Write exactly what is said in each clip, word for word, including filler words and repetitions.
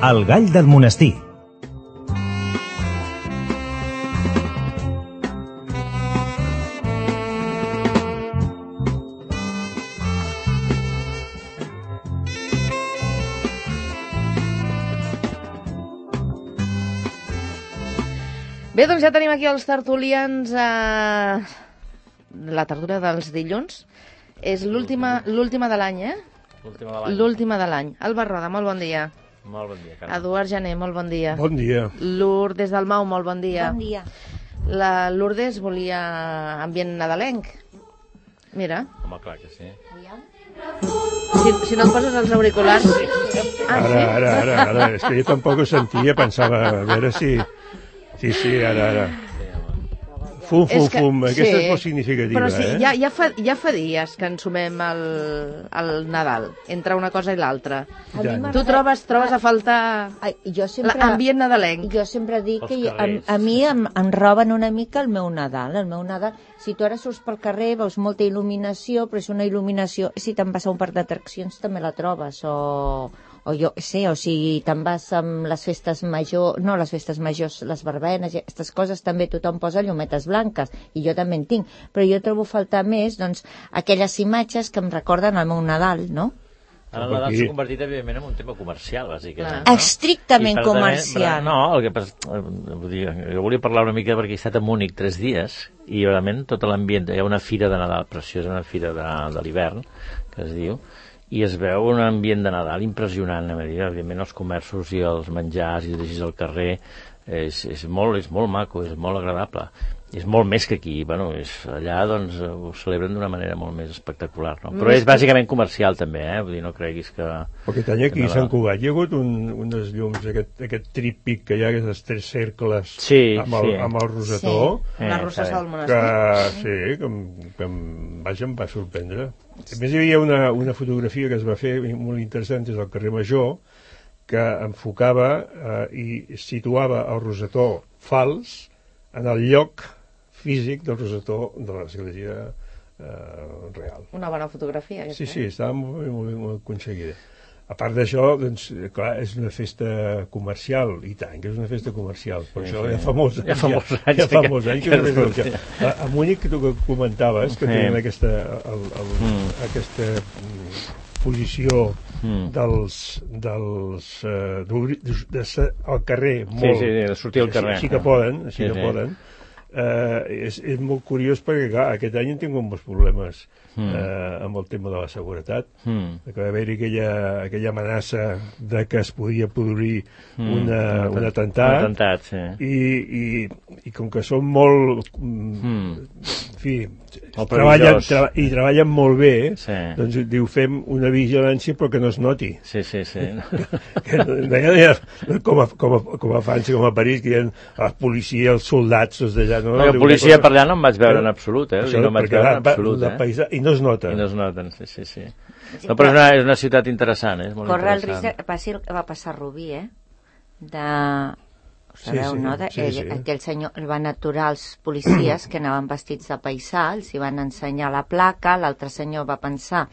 El gall del monestir. Bé, doncs ja tenim aquí els tertulians a la tertúlia dels dilluns. És l'última l'última de l'any, eh? L'última de l'any. L'última de l'any. Alba Roda, molt bon dia. Molt bon dia, Carme. Eduard Jané, molt bon dia. Bon dia. Lourdes Dalmau, molt bon dia. Bon dia. La Lourdes volia ambient nadalenc. Mira. Home, clar que sí. Si, si no et poses els auriculars... Ah, Ara, sí? ara, ara, ara. És que jo tampoc ho sentia, pensava, a veure si... Sí, sí, ara, ara. Fum, fum, És que- fum. Aquesta sí, és molt significativa, Però sí, eh? ja, ja, fa, ja fa dies que ensumem el, el Nadal, entre una cosa i l'altra. A mi m'agrada- Tu trobes, trobes a faltar Ai, jo sempre, l'ambient nadalenc? jo sempre dic que Els a, carrers, a mi em, em roben una mica el meu Nadal. El meu Nadal, si tu ara surts pel carrer, veus molta il·luminació, però és una il·luminació... Si te'n vas a un parc d'atraccions també la trobes, o... o jo sé, o si te'n vas amb les festes majors, no les festes majors, les verbenes, i aquestes coses també tothom posa llumetes blanques, i jo també en tinc, però jo trobo faltar més, doncs, aquelles imatges que em recorden el meu Nadal, no? Ara el Nadal s'ha convertit, evidentment, en un tema comercial, bàsicament. Clar. No? Estrictament I per tant, comercial. No, el que passa... Vull dir, jo volia parlar una mica perquè he estat a Múnich tres dies i realment tot l'ambient... Hi ha una fira de Nadal preciosa, una fira de, de l'hivern, que es diu, i es veu un ambient de Nadal impressionant. Evidentment, els comerços i els menjars i llegis al carrer és, és, molt, és molt maco, és molt agradable. És molt més que aquí. Bueno, és, allà doncs, ho celebren d'una manera molt més espectacular. No? Però és bàsicament comercial també, eh? Vull dir, no creguis que... Aquest any aquí a Sant Cugat hi ha hagut un, unes llums, aquest, aquest trípic que hi ha, aquests tres cercles Sí, amb, el, sí. amb el rosetó, Eh, Les rosses està del bé. monestir. que sí, que, em- que em, vaja, em va sorprendre. A més, hi havia una, una fotografia que es va fer molt interessant des del carrer Major, que enfocava eh, i situava el rosetó fals en el lloc físic del rosetó de l'església eh, real. Una bona fotografia. Sí, aquesta, sí, estava molt, bé, molt, bé, molt aconseguida. A part d'això, doncs, clar, és una festa comercial, i tant, que és una festa comercial, per Sí, això sí. ja fa molts anys. Ja fa molts anys Ja fa que- molts anys que, que és una es festa fa. comercial. A, a Múnich, que tu que comentaves, que Sí. tenen aquesta, el, el, Mm. aquesta mm, posició Mm. dels, dels uh, d'obrir de ser al carrer Sí, molt, sí, de sortir al carrer. sí, sí que poden, sí, Sí, que sí. poden. Uh, és, és molt curiós perquè clar, aquest any hem tingut molts problemes Mm. uh, amb el tema de la seguretat, Mm. que va haver-hi aquella, aquella amenaça de que es podia produir Mm. una, Un un atent- atemptat, Un atemptat, sí. i, i, i com que són molt mm. Mm. en fi, Molt treballen, perillós. tra i treballen molt bé, Sí. doncs diu, fem una vigilància però que no es noti. Sí, sí, sí. Que no, no hi ha, no, com, a, com, a, com a França, com a París, que hi ha la policia, els soldats, els d'allà... No, No, la Diu, policia una per allà no em vaig veure en absolut, eh? Això, No em vaig perquè veure va- en va- absolut, de eh? paisa, i no es nota. I no es noten, sí, sí, sí. No, però és una, és una ciutat interessant, eh? És molt Corre el risc interessant. de, passi el que va passar a Rubí, eh? De... Ho Sí, sabeu, sí, no? De, sí, ell, sí. Aquell senyor, el van aturar els policies que anaven vestits de paisà, els hi van ensenyar la placa, l'altre senyor va pensar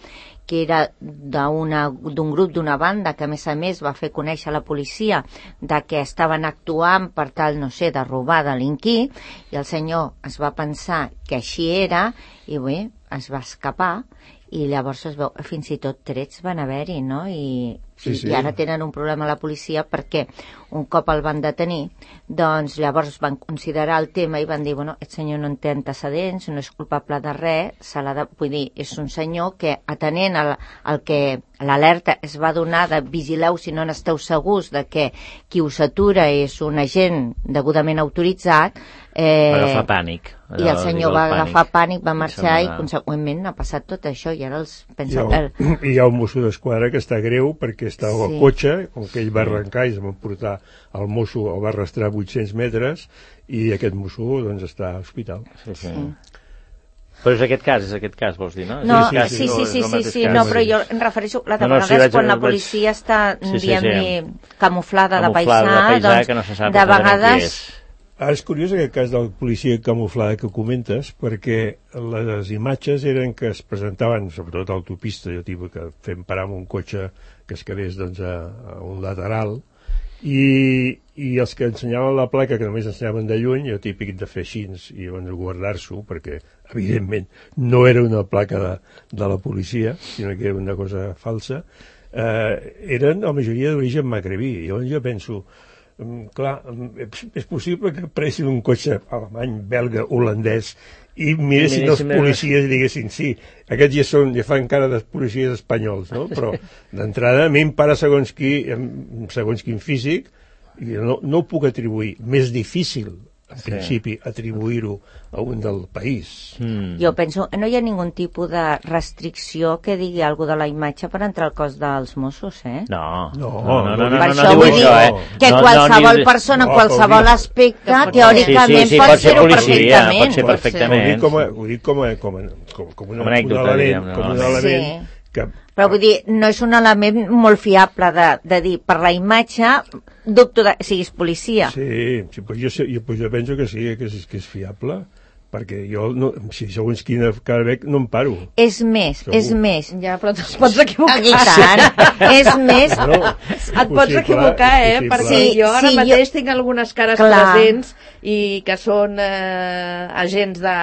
que era d'una- d'un grup, d'una banda, que a més a més va fer conèixer a la policia de que estaven actuant per tal, no sé, de robar, delinquir, i el senyor es va pensar que així era, i bé, es va escapar, i llavors es veu, fins i tot trets van haver-hi, no? I, Sí, sí. i ara tenen un problema a la policia perquè un cop el van detenir, doncs llavors van considerar el tema i van dir, bueno, aquest senyor no en té antecedents, no és culpable de res, se l'ha de, vull dir, és un senyor que atenent al, al que l'alerta es va donar de vigileu si no n'esteu segurs de que qui us atura és un agent degudament autoritzat, eh, Va agafar pànic. i el senyor va agafar pànic, va marxar i sembla- conseqüentment ha passat tot això i ara els Hi pensa... ha, el- un, hi ha un mosso d'esquadra que està greu perquè estava Sí. al cotxe, com que ell va arrencar i es va portar el mosso, el va arrastrar vuit-cents metres, i aquest mosso doncs està a l'hospital. Sí, sí. Sí. Però és aquest cas, és aquest cas, vols dir, no? És No, aquest cas, sí, o sí, és sí, el sí, mateix sí, cas? no, però jo em refereixo, la No, no, vegada sí, és vaig- quan la vaig- policia està, Sí, sí, diguem-ne, sí. camuflada de Camuflada paisà, de paisà, doncs, que no se sap de exactament qui vegades... és. Ara és curiós aquest cas del policia camuflada que comentes, perquè les imatges eren que es presentaven, sobretot a l'autopista, jo tipus que fem parar amb un cotxe que es quedés doncs, a, a un lateral, I, i els que ensenyaven la placa, que només ensenyaven de lluny, jo típic de fer així i llavors guardar-s'ho, perquè evidentment no era una placa de, de la policia, sinó que era una cosa falsa, eh, eren la majoria d'origen magrebí. Llavors jo penso, clar, és possible que pressin un cotxe alemany, belga, holandès i miressin els policies i diguessin sí, aquests ja, són, ja fan cara de policies espanyols, no? Però d'entrada a mi em para segons, qui, segons quin físic i no, no ho puc atribuir. Més difícil, en sí. principi, atribuir-ho a un del país. Mm. Jo penso, no hi ha ningun tipus de restricció que digui alguna de la imatge per entrar al cos dels Mossos, eh? No, no, no, no, no, no, per no, això no vull diu dir això, eh? que no, qualsevol no, persona, no, qualsevol dir... aspecte, sí, teòricament sí, sí, pot, pot ser fer-ho policia, perfectament. pot ser perfectament. Ho dic com a, ho dic com a, com a, com, com una, com anècdota, un element, diguem, com un no? element Sí. que... Però vull dir, no és un element molt fiable de, de dir, per la imatge, dubto de, siguis policia. Sí, sí pues jo, jo, pues jo penso que sí, que és, que és fiable, perquè jo, no, si segons quina cara veig, no em paro. És més, Segur. és més. Ja, però te'ls pots equivocar. I tant, és més... No, Et pots equivocar, eh? Perquè Sí, jo ara sí, mateix jo- tinc algunes cares Clar. presents i que són eh, agents de...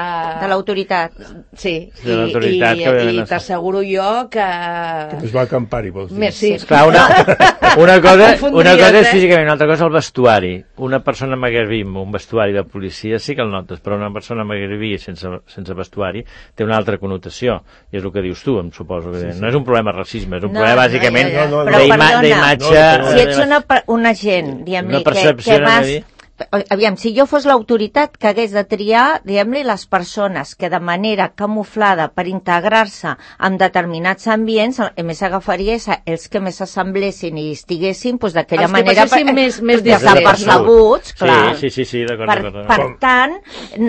De l'autoritat. Sí, De i, l'autoritat i, que ve de i la- t'asseguro jo que... Es va acampar-hi, vols dir? Més, sí. Clar, una, una, cosa, Confondries, una cosa és eh? físicament, una altra cosa és el vestuari. Una persona magrebí amb un vestuari de policia sí que el notes, però una persona magrebí sense, sense vestuari té una altra connotació, i és el que dius tu, em suposo que sí, sí. No és un problema de racisme, és un No, problema no, bàsicament ja, ja. No, no, Però d'ima- perdona, d'imatge... no, Si ets una, per- un agent, diguem-li, Una que, percepció, que anava a vas... dir. Aviam, si jo fos l'autoritat que hagués de triar, diguem-li, les persones que de manera camuflada per integrar-se en determinats ambients, a més agafaria els que més s'assemblessin i estiguessin doncs, d'aquella Els que manera passessin més- més desapercebuts, clar. Sí, sí, sí, sí d'acord. Per, d'acord. per tant,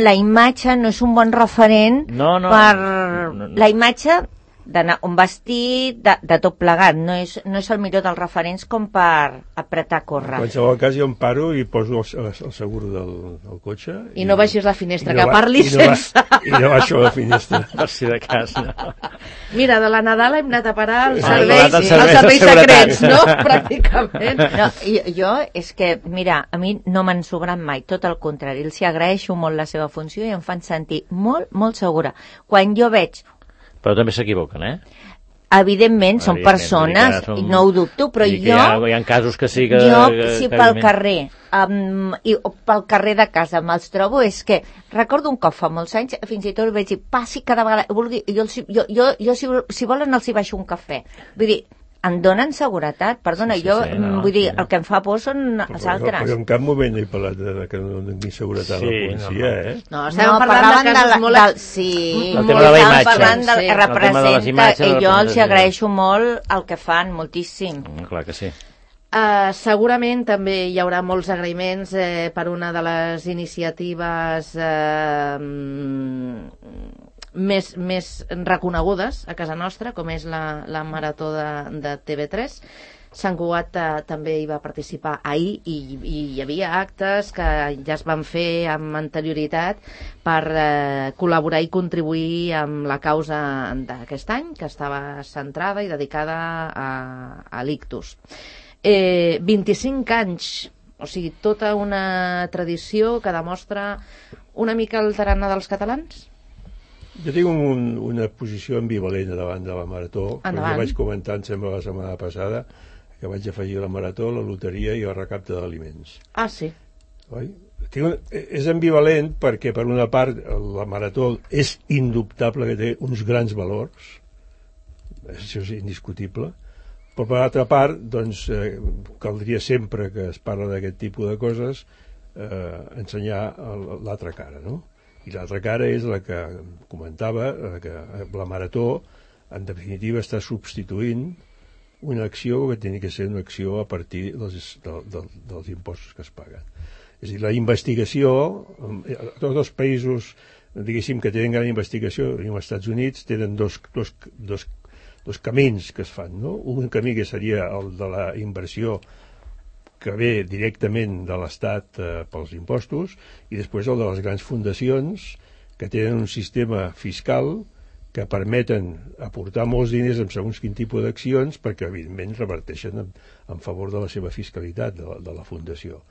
la imatge no és un bon referent No, no. per... No, no. La imatge d'anar un vestit, de, de tot plegat, no és, no és el millor dels referents com per apretar a En córrer. qualsevol cas jo em paro i poso el, el seguro del, del cotxe. I no baixis la finestra, i no que ba- parlis i no ba- sense... I no baixo la finestra. Per si de cas, no. Mira, de la Nadal hem anat a parar als Ah, serveis, als als serveis de serveis seguretat. secrets, no? Pràcticament. No, jo, jo és que, mira, a mi no m'han sobrat mai, tot el contrari, els hi agraeixo molt la seva funció i em fan sentir molt, molt segura. Quan jo veig, Però també s'equivoquen, eh? evidentment, són Evidentment, persones, vull dir que són- i no ho dubto, però Vull dir que jo... Hi ha, hi ha casos que sí que... Jo, que, si que, pel que- carrer, um, i, o pel carrer de casa me'ls trobo, és que recordo un cop fa molts anys, fins i tot ho veig dir, passi cada vegada, vulgui, jo, els, jo, jo, jo si, si volen els hi baixo un cafè. Vull dir, em donen seguretat, perdona, Sí, sí, jo, sí, no, mm, vull dir, sí. el que em fa por són els Però, altres. però en cap moment he parlat de, de que no doni seguretat Sí, a la policia, no, no. eh? No, estem No, parlant parlaven de casos la- molt... del, sí, El molt, tema de la estàvem imatge. parlant del Sí, que el tema de les representa, imatges, i la jo els hi representació. agraeixo molt el que fan, moltíssim. Mm, clar que sí. Uh, segurament també hi haurà molts agraïments eh, per una de les iniciatives eh, més, més reconegudes a casa nostra, com és la, la Marató de, de T V tres. Sant Cugat eh, també hi va participar ahir i, i hi havia actes que ja es van fer amb anterioritat per eh, col·laborar i contribuir amb la causa d'aquest any, que estava centrada i dedicada a, a l'ictus. Eh, vint-i-cinc anys, o sigui, tota una tradició que demostra una mica el tarannà dels catalans? Jo tinc un, una posició ambivalent davant de la Marató, Endavant. perquè vaig comentar, em sembla, la setmana passada, que vaig afegir la Marató, la loteria i el recapte d'aliments. Ah, sí. Oi? Tinc un, és ambivalent perquè, per una part, la Marató és indubtable que té uns grans valors, això és indiscutible, però per l'altra part, doncs, eh, caldria sempre que es parla d'aquest tipus de coses eh, ensenyar el- l'altra cara, no? I l'altra cara és la que comentava, la que la Marató, en definitiva, està substituint una acció que hauria que ser una acció a partir dels, de, de, dels impostos que es paguen. És a dir, la investigació, a tots els països, diguéssim, que tenen gran investigació, i als Estats Units tenen dos, dos, dos, dos camins que es fan, no? Un camí que seria el de la inversió que ve directament de l'Estat eh, pels impostos, i després el de les grans fundacions que tenen un sistema fiscal que permeten aportar molts diners en segons quin tipus d'accions perquè, evidentment, reverteixen en, en favor de la seva fiscalitat, de la, de la Fundació.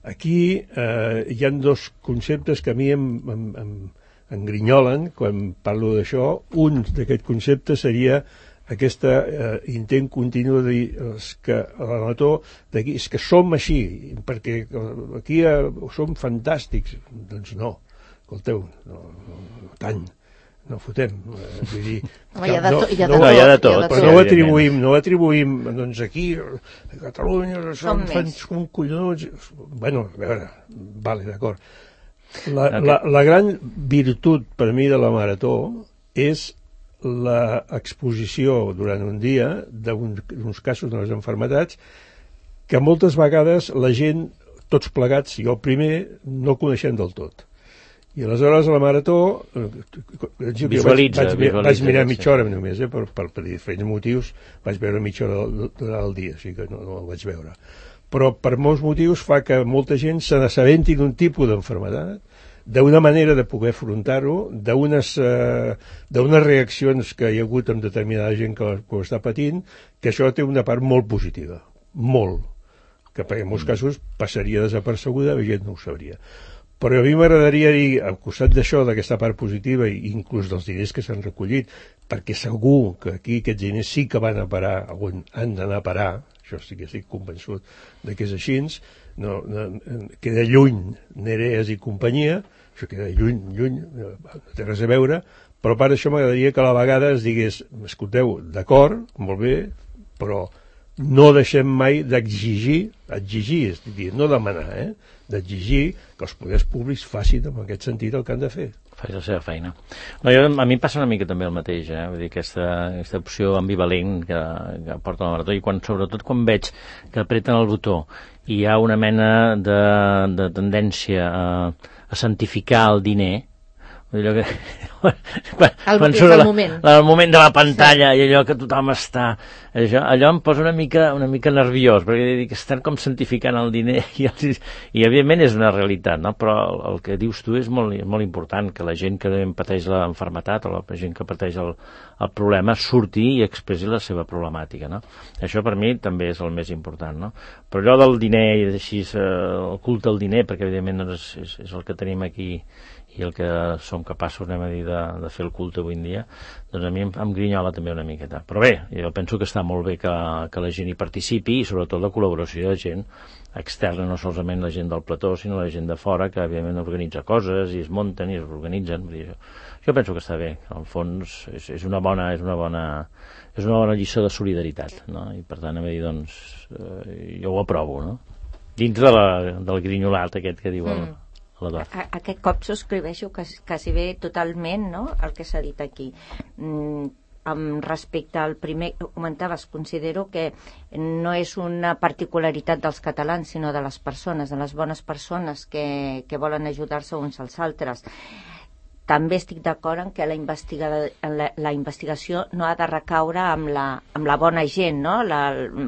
Aquí eh, hi ha dos conceptes que a mi em, em, em engrinyolen quan parlo d'això. Un d'aquests conceptes seria aquest eh, intent continu de dir és que l'amator d'aquí és que som així, perquè aquí eh, som fantàstics. Doncs no, escolteu, no, no, no tant, no fotem. Eh, vull dir, Home, hi ha de no, tot, hi ha no, de tot, hi ha de hi ha tot, de però tot. no ho atribuïm, no ho atribuïm, doncs aquí, a Catalunya, som Som fans més. com collons. Bueno, a veure, vale, d'acord. La, la, la gran virtut per mi de la marató és l'exposició durant un dia d'uns casos de les malalties que moltes vegades la gent, tots plegats, jo primer, no coneixem del tot. I aleshores a la marató Visualitza, vaig, vaig, visualitza, vaig mirar sí. mitja hora només, eh, per, per, per diferents motius vaig veure mitja hora durant el dia, o sigui que no, no el vaig veure. Però per molts motius fa que molta gent se n'assabenti d'un tipus d'enfermedat, d'una manera de poder afrontar-ho, d'unes eh, d'unes reaccions que hi ha hagut amb determinada gent que, que ho està patint, que això té una part molt positiva, molt, que en molts casos passaria desapercebuda, la gent no ho sabria. Però a mi m'agradaria dir, al costat d'això, d'aquesta part positiva, i inclús dels diners que s'han recollit, perquè segur que aquí aquests diners sí que van a parar on han d'anar a parar, això sí que estic convençut de que és així, no, no, queda lluny Nereas i companyia, això queda lluny, lluny, no té res a veure, però a part d'això m'agradaria que a la vegada es digués, escolteu, d'acord, molt bé, però no deixem mai d'exigir, exigir, és a dir, no demanar, eh? d'exigir que els poders públics facin en aquest sentit el que han de fer. Faig la seva feina. No, jo, a mi em passa una mica també el mateix, eh? Vull dir, aquesta, aquesta opció ambivalent que, que porta la marató, i quan, sobretot quan veig que apreten el botó i hi ha una mena de, de tendència a, a santificar el diner, allò que, quan, El- quan és surt el la, moment. la, el moment de la pantalla i allò que tothom està allò, allò em posa una mica, una mica nerviós perquè dic, estan com santificant el diner i, els, i evidentment és una realitat, no? Però el, el que dius tu és molt, molt important, que la gent que pateix l'enfermetat o la gent que pateix el, el problema surti i expressi la seva problemàtica, no? Això per mi també és el més important, no? Però allò del diner i així, eh, el culte al diner, perquè evidentment doncs, és, és el que tenim aquí i el que som capaços, anem a dir, de, de fer el culte avui en dia, doncs a mi em, em grinyola també una miqueta. Però bé, jo penso que està molt bé que, que la gent hi participi i sobretot la col·laboració de gent externa, no solament la gent del plató, sinó la gent de fora, que evidentment organitza coses i es munten i es organitzen. Vull dir, jo, jo penso que està bé, que al fons és, és una bona és una bona és una bona lliçó de solidaritat, no? I per tant, a dir, doncs, eh, jo ho aprovo, no? Dins de la, del grinyolat aquest que diu el, Mm. A, aquest cop subscriveixo quasi, quasi bé totalment, no?, el que s'ha dit aquí. Mm, amb respecte al primer que comentaves, considero que no és una particularitat dels catalans, sinó de les persones, de les bones persones que, que volen ajudar-se uns als altres. També estic d'acord en que la, investiga, la, la investigació no ha de recaure amb la, amb la bona gent, no? La,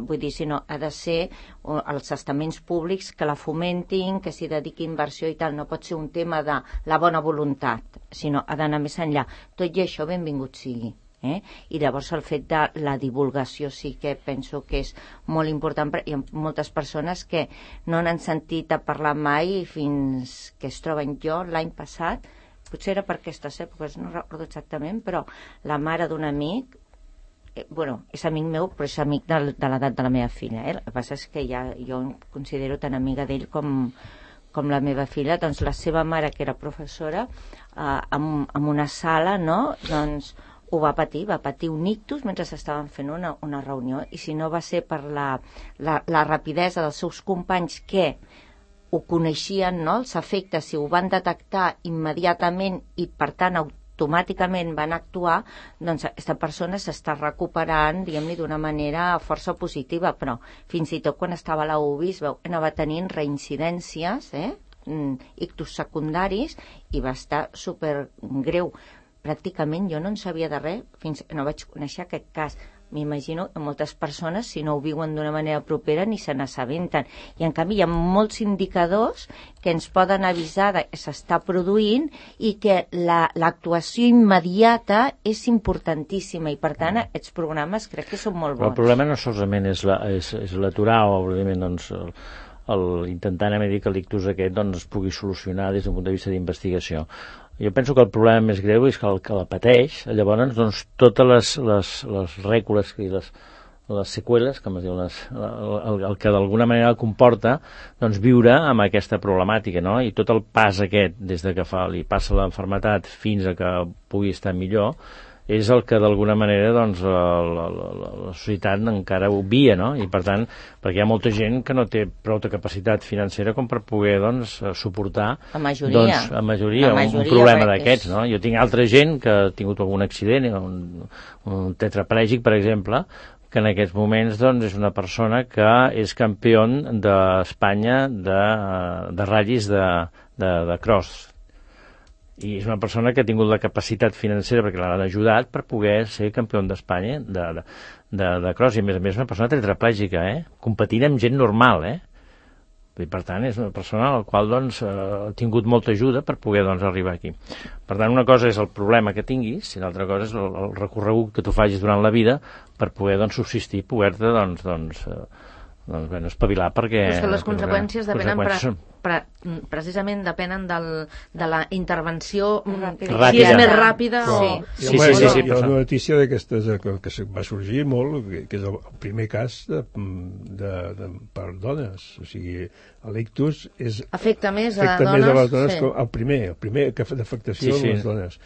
vull dir, sinó ha de ser els estaments públics que la fomentin, que s'hi dediqui inversió i tal. No pot ser un tema de la bona voluntat, sinó ha d'anar més enllà. Tot i això, benvingut sigui. Eh? I llavors el fet de la divulgació sí que penso que és molt important. Hi ha moltes persones que no n'han sentit a parlar mai fins que es troben. Jo l'any passat, potser era per aquestes èpoques, no recordo exactament, però la mare d'un amic, eh, bueno, és amic meu, però és amic de, de l'edat de la meva filla, eh? El que passa és que ja jo em considero tan amiga d'ell com, com la meva filla. Doncs la seva mare, que era professora, eh, en, en una sala, no?, doncs ho va patir, va patir un ictus mentre estaven fent una, una reunió, i si no va ser per la, la, la rapidesa dels seus companys que ho coneixien, no?, els efectes, si ho van detectar immediatament i per tant automàticament van actuar, doncs aquesta persona s'està recuperant, diguem-li, d'una manera força positiva, però fins i tot quan estava a la U B I es veu que anava tenint reincidències, eh? ictus secundaris, i va estar supergreu. Pràcticament jo no en sabia de res fins que no vaig conèixer aquest cas. m'imagino que moltes persones, si no ho viuen d'una manera propera, ni se n'assabenten. I, en canvi, hi ha molts indicadors que ens poden avisar de que s'està produint i que la, l'actuació immediata és importantíssima i, per tant, aquests programes crec que són molt bons. Però el problema no solament és, la, és, és l'aturar o, evidentment, doncs, el, el, intentant dir que l'ictus aquest doncs, es pugui solucionar des d'un punt de vista d'investigació. Jo penso que el problema més greu és que el que la pateix, llavors, doncs, totes les, les, les rècules i les, les seqüeles, com es diu, les, el, el que d'alguna manera comporta, doncs, viure amb aquesta problemàtica, no? I tot el pas aquest, des de que fa, li passa l'enfermetat fins a que pugui estar millor, és el que d'alguna manera doncs, la, la, la, la societat encara obvia, no? I per tant, perquè hi ha molta gent que no té prou de capacitat financera com per poder doncs, suportar la majoria, doncs, la majoria, la majoria un, un problema d'aquests, no? Jo tinc altra gent que ha tingut algun accident, un, un tetraplègic, per exemple, que en aquests moments doncs, és una persona que és campió d'Espanya de, de ratllis de, de, de cross. I és una persona que ha tingut la capacitat financera perquè l'han ajudat per poder ser campió d'Espanya de, de, de, de cross, i a més a més una persona tetraplègica, eh? Competint amb gent normal, eh? I per tant és una persona a la qual doncs, ha tingut molta ajuda per poder doncs, arribar aquí. Per tant, una cosa és el problema que tinguis i l'altra cosa és el, el recorregut que tu facis durant la vida per poder doncs, subsistir, poder-te doncs, doncs, doncs, bueno, espavilar perquè... Però és que les conseqüències depenen conseqüències pre, pre, precisament depenen del, de la intervenció ràpida. Si és més ràpida no, o... Sí, sí, sí, sí, sí, hi ha una notícia d'aquestes que, que va sorgir molt, que, que és el primer cas de, de, de, per dones, o sigui, l'ictus és... Afecta més a afecta dones? Més a les dones sí. que el primer, el primer que fa d'afectació sí, sí. a les dones.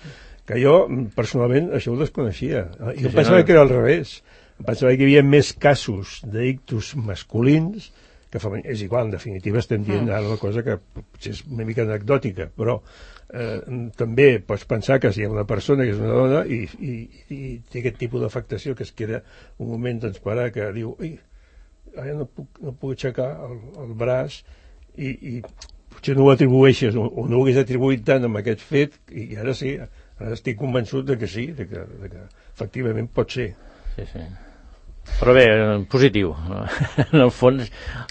Que jo, personalment, això ho desconeixia. Jo sí, pensava no. que era al revés. Em pensava que hi havia més casos d'ictus masculins que femení. És igual, en definitiva estem dient ara una cosa que potser és una mica anecdòtica, però eh, també pots pensar que si hi ha una persona que és una dona i, i, i té aquest tipus d'afectació que es queda un moment doncs parar que diu ui, ara no puc, no puc aixecar el, el braç i, i potser no ho atribueixes o, o no ho hagués atribuït tant amb aquest fet i ara sí, ara estic convençut de que sí, de que, de que efectivament pot ser. Sí, sí. Però bé, positiu. En el fons,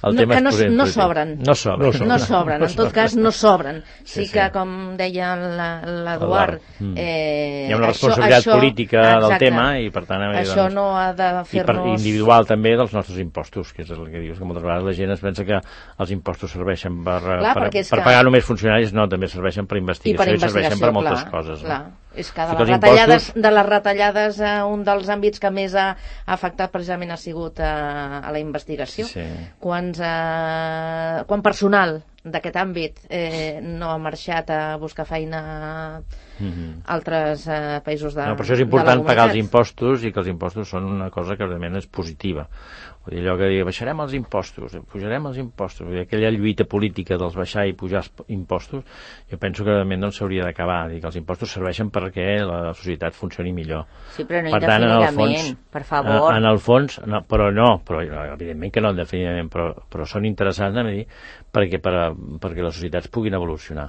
el no, tema que no, és positiu. no sobren. No sobren. No sobren, en tot cas no sobren. Sí, Sí, sí. que, com deia l'Eduard... Mm. Eh, Hi ha una responsabilitat això, política això, del exacte, tema i, per tant... això doncs, no ha de i per fer-nos... individual també dels nostres impostos, que és el que dius, que moltes vegades la gent es pensa que els impostos serveixen per, Clar, per, perquè és per que- pagar només funcionaris, no, també serveixen per I investigació per i, serveixen per moltes clar, coses. clar. No? És que de Sí, les, els retallades, impostos- de les retallades eh, un dels àmbits que més ha afectat precisament ha sigut eh, a la investigació. Sí. Quants, eh, quan personal d'aquest àmbit eh, no ha marxat a buscar feina a Mm-hmm. altres eh, països de, No, per això és de la important pagar els comunitat. impostos i que els impostos són una cosa que realment és positiva. Vull dir, allò que diu, baixarem els impostos, pujarem els impostos, vull dir, aquella lluita política dels baixar i pujar els impostos, jo penso que realment no s'hauria d'acabar, dir que els impostos serveixen perquè la societat funcioni millor. Sí, però no Per tant, en el indefinidament, fons, per favor. En, en el fons, no, però no, però evidentment que no indefinidament, però, però són interessants a dir, perquè, per, perquè les societats puguin evolucionar.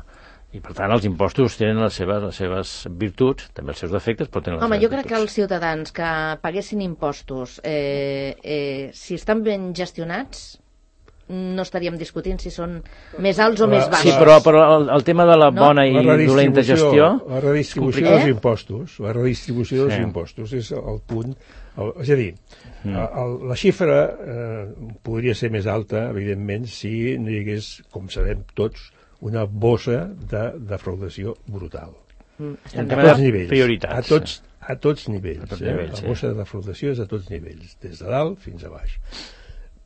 I per tant els impostos tenen les seves, les seves virtuts, també els seus defectes, però tenen les Home, seves jo crec que virtuts. els ciutadans que paguessin impostos, eh, eh, si estan ben gestionats, no estaríem discutint si són més alts o La- més Sí, baixos. però, però el, el tema de la No? bona i La dolenta gestió... la redistribució complicat. dels impostos, la redistribució dels Sí. impostos és el punt, el, és a dir, Mm. el, la xifra eh, podria ser més alta, evidentment, si no hi hagués, com sabem tots, una bossa de defraudació brutal. Mm, El estem tema A tots de nivells. prioritats. A tots, a tots nivells. A tots eh? nivells, la sí. bossa de defraudació és a tots nivells, des de dalt fins a baix.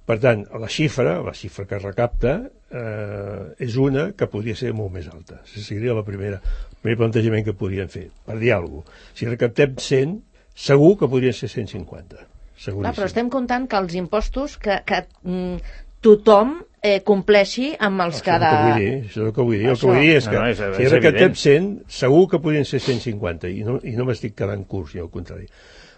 Per tant, la xifra, la xifra que recapta, eh, és una que podria ser molt més alta. Això seria la primera, el primer plantejament que podríem fer, per dir alguna cosa. Si recaptem cent, segur que podrien ser cent cinquanta. Seguríssim. Clar, però estem comptant que els impostos que, que mm, tothom eh, compleixi amb els que Això és el de... que vull dir, això és el que vull dir. El Això. que vull dir és que No, no, és- si és recaptem evident. cent, segur que podrien ser cent cinquanta, i no, i no m'estic quedant curt, sinó al contrari.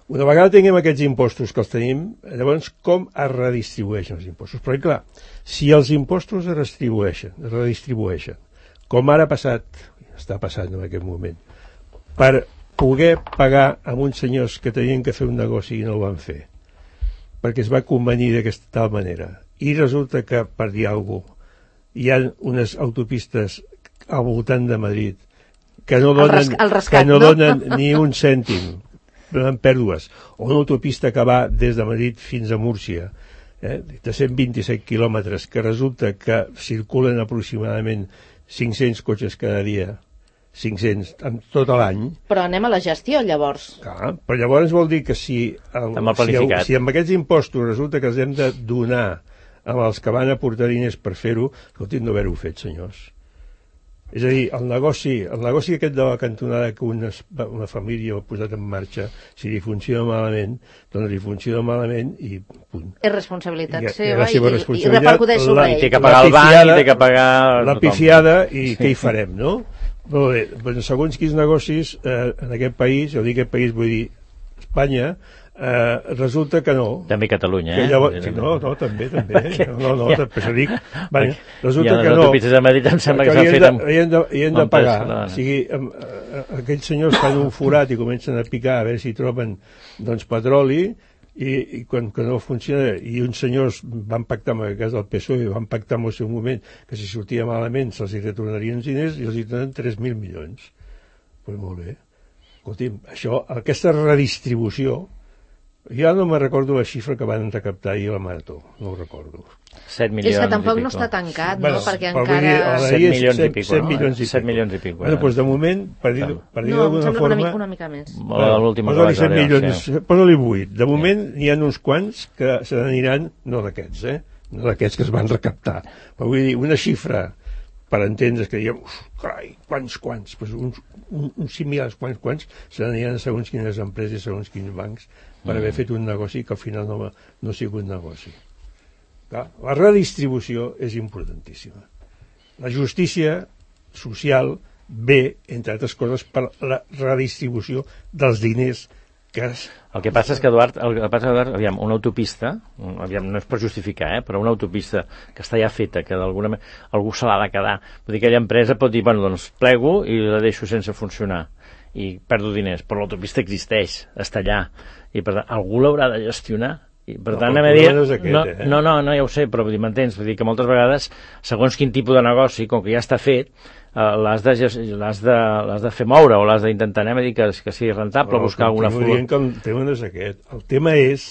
Una vegada tinguem aquests impostos que els tenim, llavors com es redistribueixen els impostos? Però clar, si els impostos es redistribueixen, es redistribueixen, com ara ha passat, està passant en aquest moment, per poder pagar a uns senyors que tenien que fer un negoci i no ho van fer, perquè es va convenir d'aquesta tal manera. I resulta que, per dir alguna cosa, hi ha unes autopistes al voltant de Madrid que no donen, el res, el rescat, que no, no donen ni un cèntim, donen pèrdues. O una autopista que va des de Madrid fins a Múrcia, eh, de cent vint-i-set quilòmetres, que resulta que circulen aproximadament cinc-cents cotxes cada dia, cinc-cents en tot l'any. Però anem a la gestió, llavors. Clar, però llavors vol dir que si, el, si, si amb aquests impostos resulta que els hem de donar amb els que van aportar diners per fer-ho, escolti, no haver-ho fet, senyors. És a dir, el negoci, el negoci aquest de la cantonada que una, una família ha posat en marxa, si li funciona malament, doncs li funciona malament i punt. És responsabilitat I, seva la seva i, responsabilitat, i repercuteix sobre ell. I té que pagar el banc i té que pagar... La pifiada i què hi farem, no? Molt bé, doncs segons quins negocis eh, en aquest país, jo dic aquest país, vull dir Espanya, eh, resulta que no. També Catalunya, eh? Llavors, sí, no, no, també, també. No, no, ja. Per això dic, bueno, resulta ja que no. Les autopistes de Madrid em sembla que, que s'han fet amb... I hem de, i hem de pagar. O sigui, amb, eh, aquells senyors fan un forat i comencen a picar a veure si troben doncs, petroli i, i quan que no funciona, i uns senyors van pactar, en el cas del P S O E, van pactar en el seu moment que si sortia malament se'ls retornarien els diners i els hi donen tres mil milions. Pues molt bé. Escolti'm, això, aquesta redistribució, jo no me recordo la xifra que van recaptar ahir a la Marató, no ho recordo. set milions és que tampoc i no està tancat, bueno, no? Perquè encara... encara... set milions i pico, set milions i pico. set milions i pico. Bueno, doncs de moment, per dir, per dir no, d'alguna forma... una mica, una mica més. Bueno, l'última posa-li set milions, milions, sí. Posa-li vuit. De moment n'hi ha uns quants que se n'aniran, no d'aquests, eh? No d'aquests que es van recaptar. Però vull dir, una xifra per entendre's que diem, uf, carai, quants, quants, pues uns, un, uns similars, quants, quants, se n'aniran segons quines empreses, segons quins bancs, per mm. haver fet un negoci que al final no, no ha sigut negoci. Clar, la redistribució és importantíssima. La justícia social ve, entre altres coses, per la redistribució dels diners que es... El que passa és que, Eduard, el que passa, Eduard, aviam, una autopista, aviam, no és per justificar, eh, però una autopista que està ja feta, que d'alguna manera algú se l'ha de quedar, vull dir, aquella empresa pot dir, bueno, doncs plego i la deixo sense funcionar i perdo diners, però l'autopista existeix, està allà, i per tant, algú l'haurà de gestionar. I per no, tant, anem a dir... No, aquest, no, eh? no, no, no, ja ho sé, però m'entens? Vull dir que moltes vegades, segons quin tipus de negoci, com que ja està fet, uh, l'has de, de, de fer moure o l'has d'intentar, anem a dir que, que sigui rentable, no, buscar alguna forma. El tema no és aquest. El tema és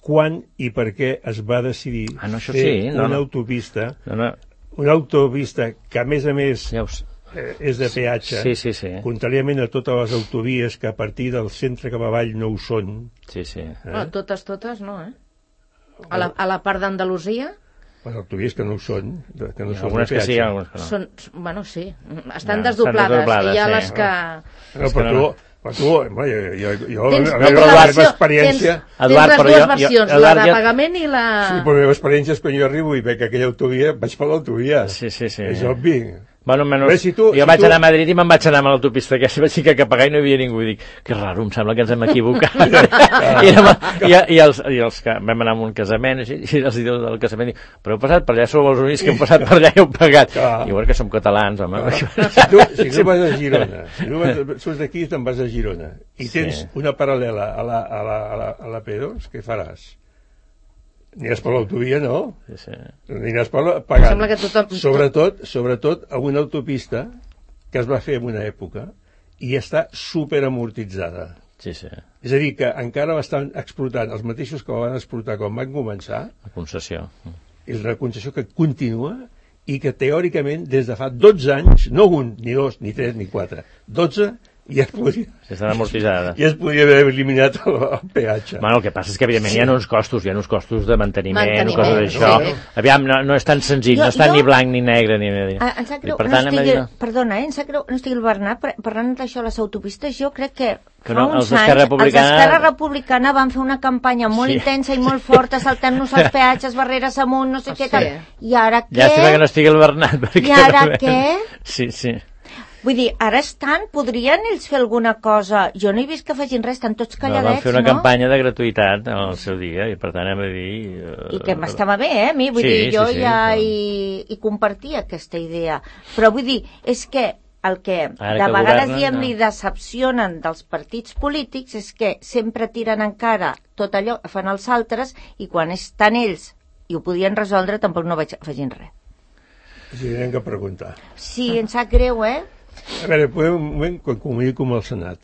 quan i per què es va decidir ah, no, fer sí, no, una no. autopista, no, no. una autopista que, a més a més, ja ho sé. Eh, és de peatge, sí, sí, sí. contràriament a totes les autovies que a partir del centre cap avall no ho són. Sí, sí. Eh? No, totes, totes no, eh? A la, a la part d'Andalusia... Les autovies que no ho són, que no són algunes de peatge. que sí, algunes que no. Són, bueno, sí, estan ja, desdoblades, estan desdoblades, i hi ha sí. les que... No, però tu, però tu, home, jo, jo, tens, a la tens meva versió, experiència... Tens, Eduard, tens les dues versions, jo, la Eduard, de jo... pagament i la... Sí, però la meva experiència és quan jo arribo i veig aquella autovia, vaig per l'autovia. Sí, sí, sí. És obvi. Bueno, menys, Bé, si tu, jo si vaig tu... anar a Madrid i me'n vaig anar a l'autopista aquesta, vaig ficar cap a i no hi havia ningú, i dic, que raro, em sembla que ens hem equivocat. I, érem, i, i, els, i els que vam anar a un casament i, i els dius del casament dic, però heu passat per allà, sou els únics que heu passat per allà i heu pagat. I veure que som catalans, home. Si tu, si tu vas a Girona, si tu vas, surts d'aquí i te'n vas a Girona i tens sí. una paral·lela a la, a la, a la, a la P dos, què faràs? Aniràs per l'autovia, no? Sí, sí. Aniràs per la... pagant. Tothom... Sobretot, sobretot a una autopista que es va fer en una època i està superamortitzada. Sí, sí. És a dir, que encara l'estan explotant els mateixos que la van explotar quan van començar. La concessió. És una concessió que continua i que teòricament des de fa dotze anys, no un, ni dos, ni tres, ni quatre, dotze, ja es podria... Estan amortitzades. Ja es podria haver eliminat el, el peatge. Bueno, el que passa és que, evidentment, sí. hi ha uns costos, hi ha uns costos de manteniment, manteniment coses d'això. Sí. Aviam, no, no és tan senzill, jo, no està jo... ni blanc ni negre, ni... Ah, em sap greu, per tant, no estigui, dir... perdona, eh, em sap greu, no estigui el Bernat, parlant d'això, les autopistes, jo crec que que no, fa uns els anys, Republicana... els d'Esquerra Republicana van fer una campanya molt sí. intensa i molt forta, saltant-nos els peatges, barreres amunt, no sé oh, què sí. tal. I ara què? Llàstima que no estigui el Bernat. I ara no... què? Sí, sí. Vull dir, ara estan, podrien ells fer alguna cosa? Jo no he vist que facin res, estan tots calladets, no? Van fer una no? campanya de gratuïtat al seu dia, i per tant hem de dir... Uh... I que m'estava bé, eh, a mi, vull sí, dir, jo sí, sí, ja no. hi, hi compartia aquesta idea. Però vull dir, és que el que Ara de que vegades governen, diem no. li decepcionen dels partits polítics és que sempre tiren encara tot allò que fan els altres i quan estan ells i ho podien resoldre tampoc no vaig afegint res. Sí, hem que preguntar. Sí, em sap greu, eh? A veure, podem un moment quan comuniqui com el Senat.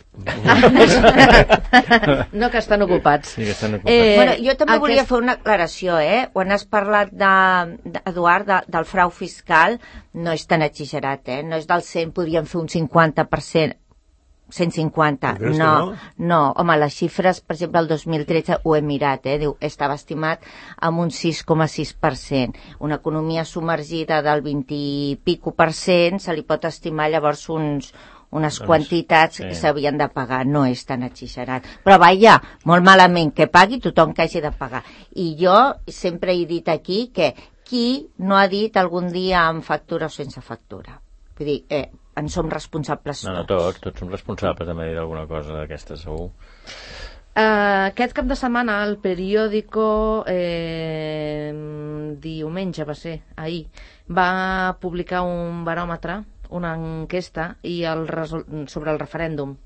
No, que estan ocupats. Sí, que estan ocupats. Eh, Bueno, jo també aquest- volia fer una aclaració, eh? Quan has parlat, de, de, Eduard, de, del frau fiscal, no és tan exagerat, eh? No és del cent, podríem fer un cinquanta per cent, cent cinquanta. Tu creus que No, no? no, home, les xifres, per exemple, el dos mil tretze ho he mirat, eh? Diu, estava estimat amb un sis coma sis per cent. Una economia submergida del vint i pico per cent se li pot estimar llavors uns unes Doncs, quantitats sí. que s'havien de pagar, no és tan exagerat. Però vaja, molt malament, que pagui tothom que hagi de pagar. I jo sempre he dit aquí que qui no ha dit algun dia amb factura o sense factura? Vull dir, eh, en som responsables No, no, tots, tots som responsables de dir alguna cosa d'aquesta, segur. Uh, aquest cap de setmana el periòdico eh, diumenge va ser, ahir va publicar un baròmetre, una enquesta i el resol... sobre el referèndum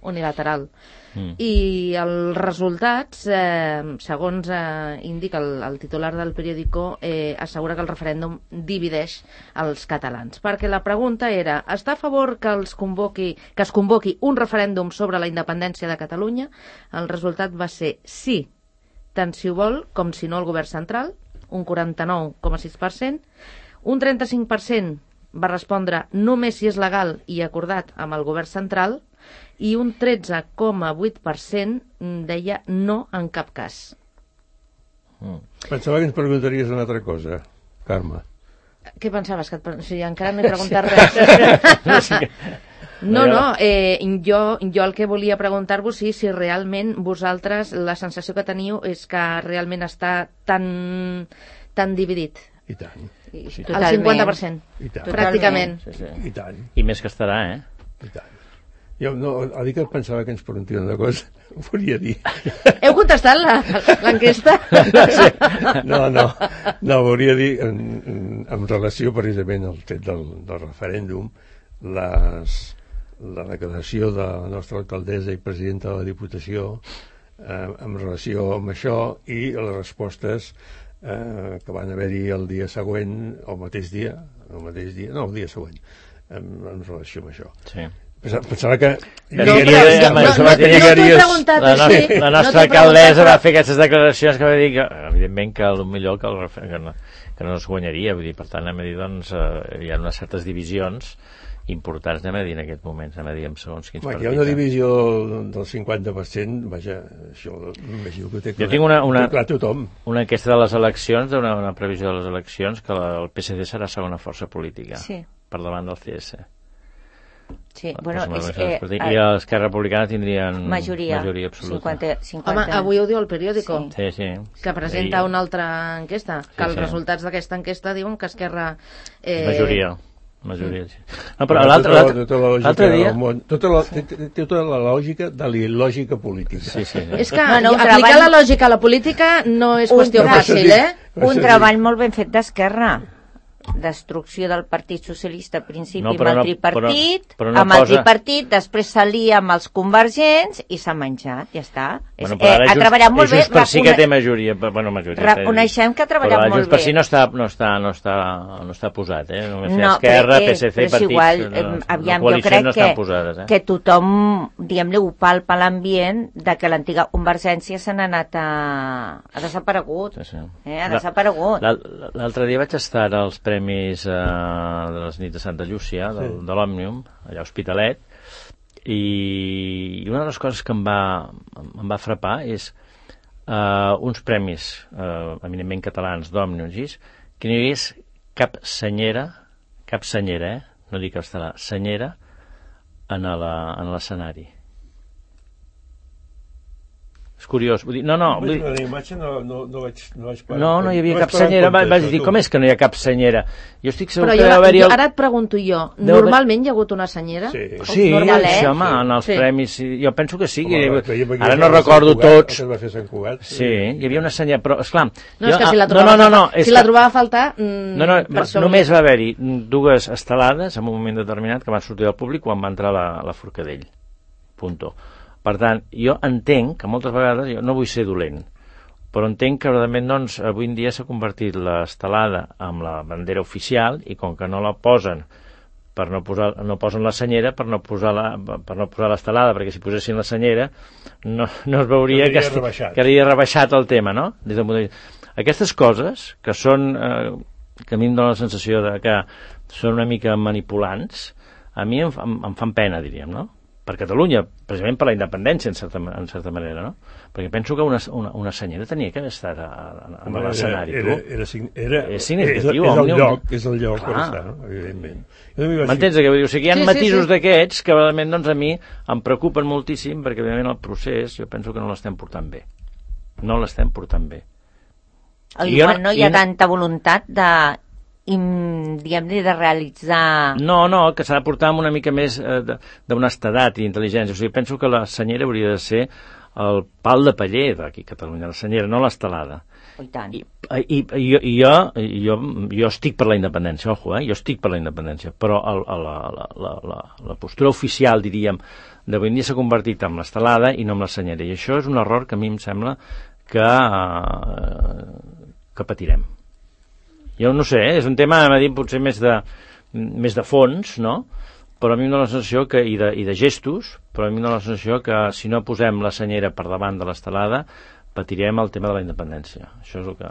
unilateral mm. i els resultats eh, segons eh, indica el, el titular del periòdico eh, assegura que el referèndum divideix els catalans, perquè la pregunta era: està a favor que, els convoqui, que es convoqui un referèndum sobre la independència de Catalunya? El resultat va ser sí, tant si ho vol com si no el govern central, un quaranta-nou coma sis per cent, un trenta-cinc per cent va respondre només si és legal i acordat amb el govern central i un tretze coma vuit per cent deia no en cap cas. Mm. Pensava que ens preguntaries una altra cosa, Carme. Què pensaves? Que et... pre- sí, encara no he preguntat res. No, no, eh, jo, jo el que volia preguntar-vos és si realment vosaltres la sensació que teniu és que realment està tan, tan dividit. I tant, Sí, el Totalment. cinquanta per cent, i tant, pràcticament. Sí, sí. i tant, I més que estarà, eh? i tant. Jo no, a dir que pensava que ens preguntaria una cosa, ho volia dir. Heu contestat la- l'enquesta? No, no, no, volia dir en, en, en relació precisament al fet del, del referèndum, les, la declaració de la nostra alcaldessa i presidenta de la Diputació eh, en relació amb això i les respostes eh, que van haver-hi el dia següent, el mateix dia, el mateix dia, no, el dia següent, en, en relació amb això. Sí. Pensava, pensava que... No, lligaria- però és que em no- pensava no- que no t'ho he lligaries- preguntat. La, no, Sí. la No nostra t'he alcaldessa preguntat, va però- fer aquestes declaracions que va dir que, evidentment, que millor que, el, refer- que, no, que no es guanyaria. Vull dir, per tant, anem a dir, doncs, eh, hi ha unes certes divisions importants, anem a dir, en aquest moment, anem a dir, en segons quins Home, partits. hi ha una eh? divisió del cinquanta per cent, vaja, això m'imagino que ho té Jo clar, tinc una- una- ho té clar tothom. Una enquesta de les eleccions, d'una una previsió de les eleccions, que la, el P S D serà segona força política, Sí. per davant del C S. Sí, bueno, Pues, és, eh, eh, I l'Esquerra Republicana tindrien majoria, majoria absoluta. cinquanta, cinquanta. Home, avui ho diu el periòdico. Sí. Sí, sí. Que presenta I- una altra enquesta, que Sí, els sí. resultats d'aquesta enquesta diuen que Esquerra... Eh, Majoria. Majoria, sí. No, però Però l'altre tota, l'altre- tota la lògica l'altre dia... del món, tota la, té, té tota la lògica de la il·lògica política. Sí, sí, sí. És que No, no, un aplicar treball- la lògica a la política no és Un qüestió treball- fàcil, eh? Per Un això treball molt ben fet d'Esquerra. Destrucció del Partit Socialista al principi No, amb però el no- tripartit, però- però no amb el posa- tripartit, després s'alia amb els convergents i s'ha menjat, ja està. És, Bueno, però ara eh, ha Junts- treballat molt bé. Junts per sí que recone- té majoria, però, bueno, majoria. Reconeixem que ha treballat però ara molt Junts per bé. sí no està, no està, no està, no està posat, eh? Només no, No, Esquerra, però, eh, P S C, però és partits... igual, no, eh, no, aviam, no, jo crec no estan que, posades, eh? que tothom, diguem-li, ho palpa l'ambient de que l'antiga Convergència se n'ha anat a... ha desaparegut. Sí, sí. Eh, ha desaparegut. L'al- L'altre dia vaig estar als premis eh, de les nits de Santa Llúcia, del, Sí. de l'Òmnium, allà a Hospitalet, i una de les coses que em va, em va frapar és eh, uns premis eh, eminentment catalans d'Òmnium, que no hi hagués cap senyera, cap senyera, eh? no dic castellà, senyera, en la- en l'escenari. És curiós. Vull dir, no, no... Vull dir... La imatge no, no, no, vaig, no vaig parar. No, no hi havia no cap senyera. Vaig, vaig dir, com és que no hi ha cap senyera? Jo estic segur Però que jo, deu haver-hi... jo, El... ara et pregunto jo, Deu normalment hi ha hagut una senyera? Sí, sí, Normalet. això, home, Sí. en els Sí. premis, sí, jo penso que sí. Home, Que... veiem aquí Ara el no de Sant recordo Cugat, tots. el que es va fer a Sant Cugat. Sí, hi havia una senyera, però, esclar... No, és que si la no, trobava, no, no, no, si és la que... trobava a faltar... Mm, No, no, per això només volia- va haver-hi dues estelades en un moment determinat que van sortir del públic quan va entrar la, la Forcadell. Punto. Per tant, jo entenc que moltes vegades, jo no vull ser dolent, però entenc que realment doncs, avui en dia s'ha convertit l'estelada amb la bandera oficial i com que no la posen per no posar, no posen la senyera per no posar la, per no posar l'estelada, perquè si posessin la senyera no, no es veuria Quedaria que, esti- rebaixat. quedaria rebaixat el tema, no? Des del punt de vista. Aquestes coses, que són eh, que a mi em dóna la sensació de que són una mica manipulants, a mi em, em, em fan pena, diríem, no? Per Catalunya, precisament per la independència, en certa, en certa manera, no? Perquè penso que una, una, una senyera tenia que haver estat a, a, a Home, l'escenari, era, tu. era, era, era, És significatiu, és, és el òmnium. lloc, és el lloc per Clar. estar, no? Evidentment. Jo també vaig M'entens? dir- Que vull dir? O sigui, hi ha Sí, sí, matisos sí. d'aquests que realment doncs, a mi em preocupen moltíssim perquè evidentment el procés jo penso que no l'estem portant bé. No l'estem portant bé. Al I jo igual no- no hi ha i no- tanta voluntat de, im, diguem-ne, de realitzar... No, no, que s'ha de portar amb una mica més eh, de- d'honestedat i intel·ligència. O sigui, penso que la senyera hauria de ser el pal de paller d'aquí a Catalunya, la senyera, no l'estelada. Oh, i tant. I, i, i, jo, i jo, jo, jo estic per la independència, ojo, eh? Jo estic per la independència, però el, el, la, la, la, la, la postura oficial, diríem, d'avui en dia s'ha convertit en l'estelada i no en la senyera. I això és un error que a mi em sembla que, eh, que patirem. Jo no sé, eh? És un tema, a dir, potser més de, més de fons, no? Però a mi em dóna la sensació que, i de, i de gestos, però a mi em dóna la sensació que si no posem la senyera per davant de l'estelada patirem el tema de la independència. Això és el que...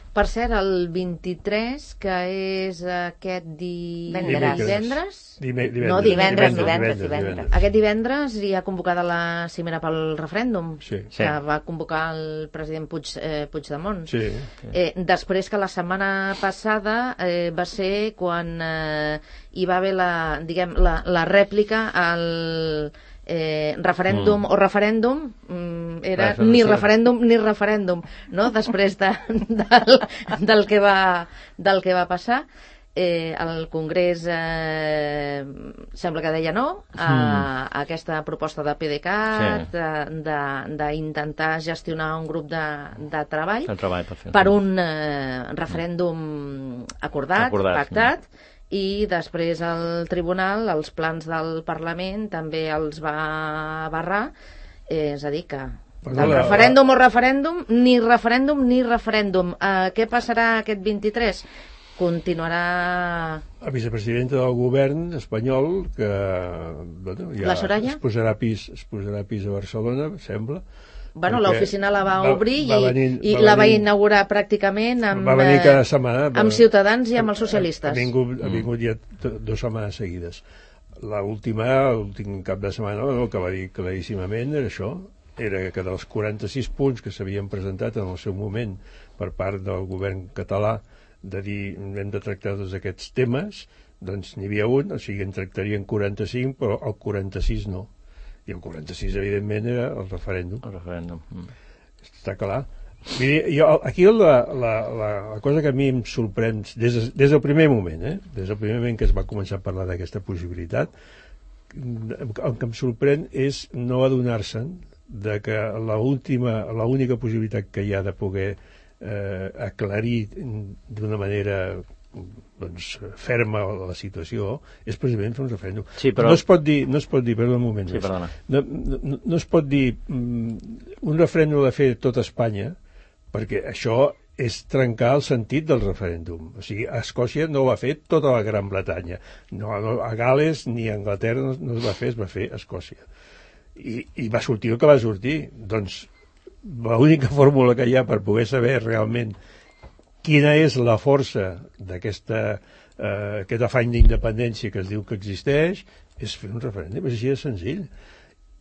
Per cert, el vint-i-tres, que és aquest di... Divendres. divendres? Dime- No, Divendres, divendres, divendres, divendres. Aquest divendres hi ha convocada la cimera pel referèndum, Sí. Sí. que va convocar el president Puig, eh, Puigdemont. Sí. Eh, després que la setmana passada eh, va ser quan eh, hi va haver la, diguem, la, la rèplica al eh, referèndum mm. o referèndum, mm, era Clar, ni sí. referèndum ni referèndum, no? Després de, del, del, que va, del que va passar. Eh, el Congrés eh, sembla que deia no a, a aquesta proposta de PDeCAT, Sí. d'intentar gestionar un grup de, de treball El treball per fer. per un eh, referèndum acordat, Acordat, pactat, i després el tribunal, els plans del Parlament també els va barrar, eh, és a dir que Però el la- referèndum o referèndum, ni referèndum ni referèndum. Eh, què passarà aquest vint-i-tres? Continuarà... La vicepresidenta del govern espanyol, que bueno, ja La Soraya? es posarà a pis, es posarà a pis a Barcelona, sembla. Bueno, perquè l'oficina la va va- obrir va i, venir- i va la va venir- inaugurar pràcticament amb, va venir eh, cada setmana. amb Ciutadans i amb els Ha socialistes. vingut, ha vingut ja t- dues setmanes seguides. L'última, l'últim cap de setmana, el que va dir claríssimament era això, era que dels quaranta-sis punts que s'havien presentat en el seu moment per part del govern català de dir hem de tractar tots aquests temes, doncs n'hi havia un, o sigui en tractarien quaranta-cinc, però el quaranta-sis no. I el quaranta-sis, evidentment, era el referèndum. El referèndum. Mm. Està clar. Vull dir, jo, aquí la, la, la, la cosa que a mi em sorprèn des, de, des del primer moment, eh? des del primer moment que es va començar a parlar d'aquesta possibilitat, el que em sorprèn és no adonar-se'n de que l'única possibilitat que hi ha de poder eh, aclarir d'una manera doncs, ferma la situació és precisament fer un referèndum. Sí, però- No es pot dir, no es pot dir, perdó un moment Sí, més. perdona. No, no, no es pot dir mm, un referèndum de fer tot Espanya, perquè això és trencar el sentit del referèndum. O sigui, a Escòcia no ho va fer tota la Gran Bretanya. No, no, a Gales ni a Anglaterra no, no es va fer, es va fer a Escòcia. I, I va sortir el que va sortir. Doncs l'única fórmula que hi ha per poder saber realment quina és la força d'aquesta eh, aquest afany d'independència que es diu que existeix és fer un referèndum, és així de senzill.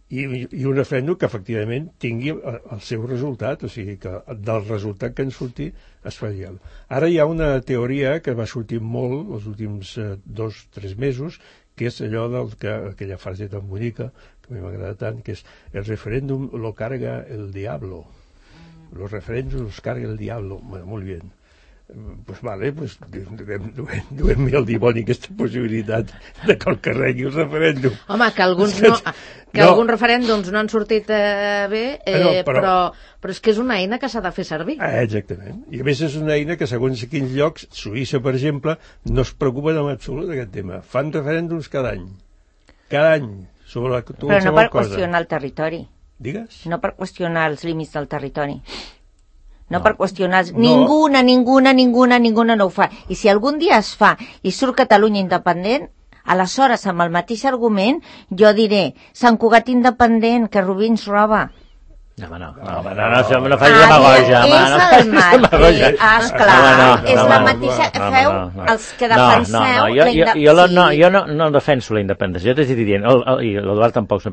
I, i un referèndum que efectivament tingui el, el seu resultat, o sigui que del resultat que en surti es faria. Ara hi ha una teoria que va sortir molt els últims eh, dos, tres mesos, que és allò del que, aquella frase tan bonica que a mi m'agrada tant, que és el referèndum lo carga el diablo. Los referèndums los carga el diablo. Bueno, molt bé. Pues vale, pues duem-hi al dimoni aquesta possibilitat de que el carregui el referèndum. Home, que alguns, no, que no. alguns referèndums no han sortit eh, bé, eh, no, però, però, però és que és una eina que s'ha de fer servir. Ah, exactament. I a més és una eina que segons a quins llocs, Suïssa, per exemple, no es preocupa en absolut d'aquest tema. Fan referèndums cada any. Cada any. Sobre la, però no per cosa. Qüestionar el territori. Digues? No per qüestionar els límits del territori. No, no per qüestionar... No. Ninguna, ninguna, ninguna, ninguna no ho fa. I si algun dia es fa i surt Catalunya independent, aleshores, amb el mateix argument, jo diré, Sant Cugat independent, que Rubí ens roba. No, home, no, no, no, no, no, no facis demagogia, home, no facis demagogia. Esclar, és la mateixa... Feu els que defenseu... No, no, jo, jo, jo, no, jo no, no defenso la independència, jo t'he dit dient, i l'Eduard tampoc...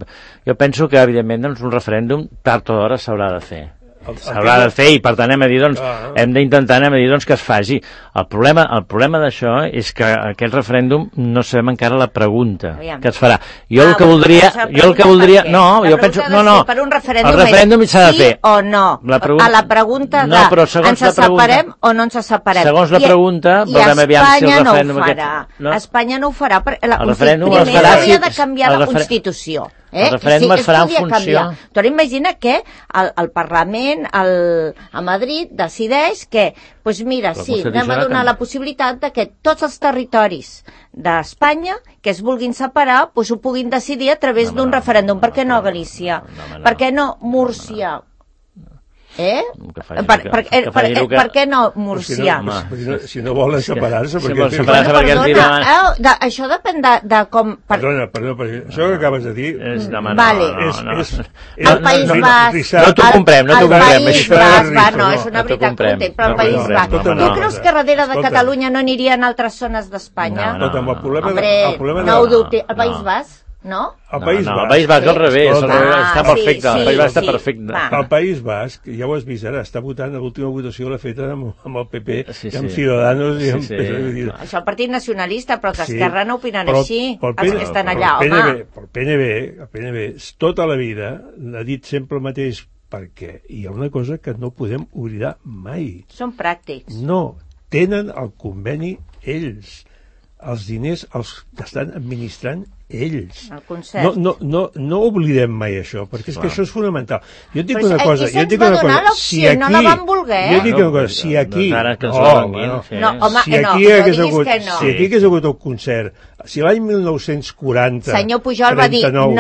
Jo penso que, evidentment, doncs, un referèndum tard o d'hora s'haurà de fer. S'haurà de fer i per tant hem de dir, doncs, ah, hem d'intentar hem de dir, doncs, que es faci. El problema, el problema d'això és que aquest referèndum no sabem encara la pregunta Aviam. que es farà. Jo ah, el que voldria, jo el que voldria, no, la jo penso, no, no, per un referèndum el referèndum s'ha de fer. Sí o no? La pregunta, a la pregunta de, no, però ens la pregunta, separem o no ens separem? Segons la pregunta, I, veurem aviam si el referèndum... No ho farà. No? Espanya no ho farà. La, el referèndum primer es farà hauria de canviar la Constitució. Eh? El referèndum sí, es farà en funció... Tu ara imagina que el, el Parlament el, a Madrid decideix que, doncs pues mira, però sí, anem a donar la possibilitat de que tots els territoris d'Espanya que es vulguin separar, doncs ho puguin decidir a través no, d'un no, referèndum. No, per què no Galícia? No, no, no. Per què no Múrcia? Eh? Per, per, per, per, per, per què no Múrcia? Si no, si no, si no volen separar-se... Si volen separar-se perquè ens diran... Eh, de, això depèn de, de com... Per... Perdona, perdona, perquè això que acabes de dir... És, no, no, vale. no, no, és, és, és, el País no, Basc... No t'ho comprem, no t'ho comprem. El País Basc, va, no, és una veritat que ho té, però el País Basc... Tu creus que darrere de Catalunya no anirien altres zones d'Espanya? No, no, el problema... Hombre, no ho dubte. El País Basc? No? El País no, no, Basc... el País Basc al revés, al revés, està perfecte, sí, el País Basc sí, està perfecte. Va. El País Basc, ja ho has vist ara, està votant, l'última votació l'ha feta amb, amb el P P, sí, i amb sí. Ciudadanos i amb... Sí, sí. Això el Partit Nacionalista, però que sí, Esquerra no opinen però, així, però els P N, que estan allà, però home. P N B, però el P N B, el P N B, tota la vida ha dit sempre el mateix, perquè hi ha una cosa que no podem oblidar mai. Són pràctics. No, tenen el conveni ells. Els diners els estan administrant ells. El concert. No, no, no, no oblidem mai això, perquè és Clar. que això és fonamental. Jo et dic Però una cosa, jo et dic una cosa, si aquí, no la van voler. Jo et dic una cosa, si aquí, no, no, no, home, si aquí no, hagués no hagut, no. si aquí hagués hagut el concert, si l'any mil nou-cents quaranta, senyor Pujol va dir no,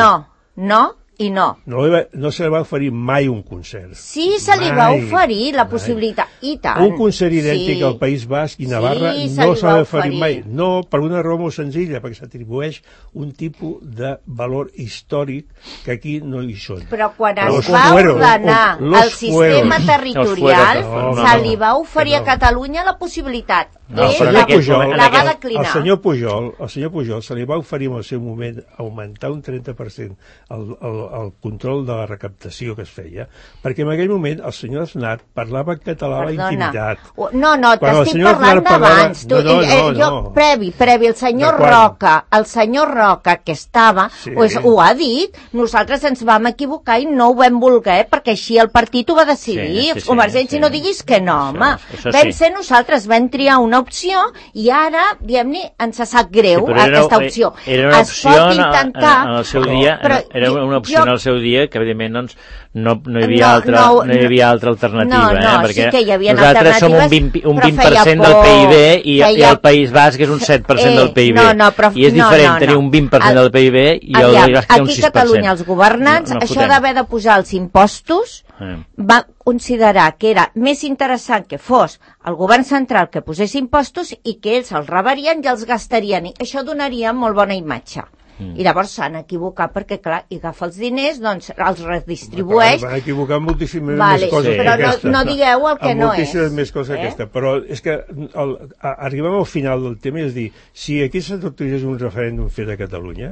no, i no. No, no se li va oferir mai un concert. Sí, se li mai, va oferir la possibilitat, mai. I tant. Un concert idèntic sí. al País Basc i Navarra sí, no se li va oferir mai. No, per una raó molt senzilla, perquè s'atribueix un tipus de valor històric que aquí no hi són. Però quan es va ordenar el sistema territorial, se li va oferir a Catalunya la possibilitat. No, Ell la, Pujol, la va declinar. El senyor Pujol, el senyor Pujol se li va oferir en el seu moment augmentar un trenta per cent el, el, el control de la recaptació que es feia, perquè en aquell moment el senyor Aznar parlava en català a la intimitat. No, no, t'estic parlant d'abans. No, no, no, jo, no. Previ, previ, el senyor Roca, el senyor Roca que estava, sí. pues, ho ha dit, nosaltres ens vam equivocar i no ho vam voler, perquè així el partit ho va decidir. Sí, sí, Convergència, sí, sí. No diguis que no, home. Això, això vam sí. ser nosaltres, vam triar una opció i ara, diguem-ne, ens sap greu sí, aquesta era, opció. Era una opció es pot intentar, en, en el seu dia, però, era una opció jo, en el seu dia que, evidentment, doncs, no, no, hi havia no, altra, no, no hi havia altra alternativa, no, no, eh? Perquè sí que hi havia nosaltres som un vint, un vint per cent del P I B i, feia... i el País Basc és un set per cent eh, del P I B. No, no, però, I és diferent no, no, tenir un vint per cent del P I B i el País Basc té un sis per cent. Aquí a Catalunya els governants, no, no això d'haver de posar els impostos, eh. va considerar que era més interessant que fos el govern central que posés impostos i que ells els rebarien i els gastarien. I això donaria molt bona imatge. Mm. I llavors s'han equivocat perquè, clar, i agafa els diners, doncs els redistribueix. Van equivocar moltíssimes vale, més coses sí. Però que aquesta. no, no digueu el que no és. Moltíssimes més coses eh? que aquesta. Però és que el, a, arribem al final del tema, és dir, si aquí s'autoritzés un referèndum fet a Catalunya,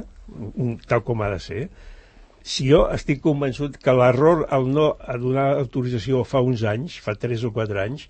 tal com ha de ser, si jo estic convençut que l'error al no a donar autorització fa uns anys, fa tres o quatre anys,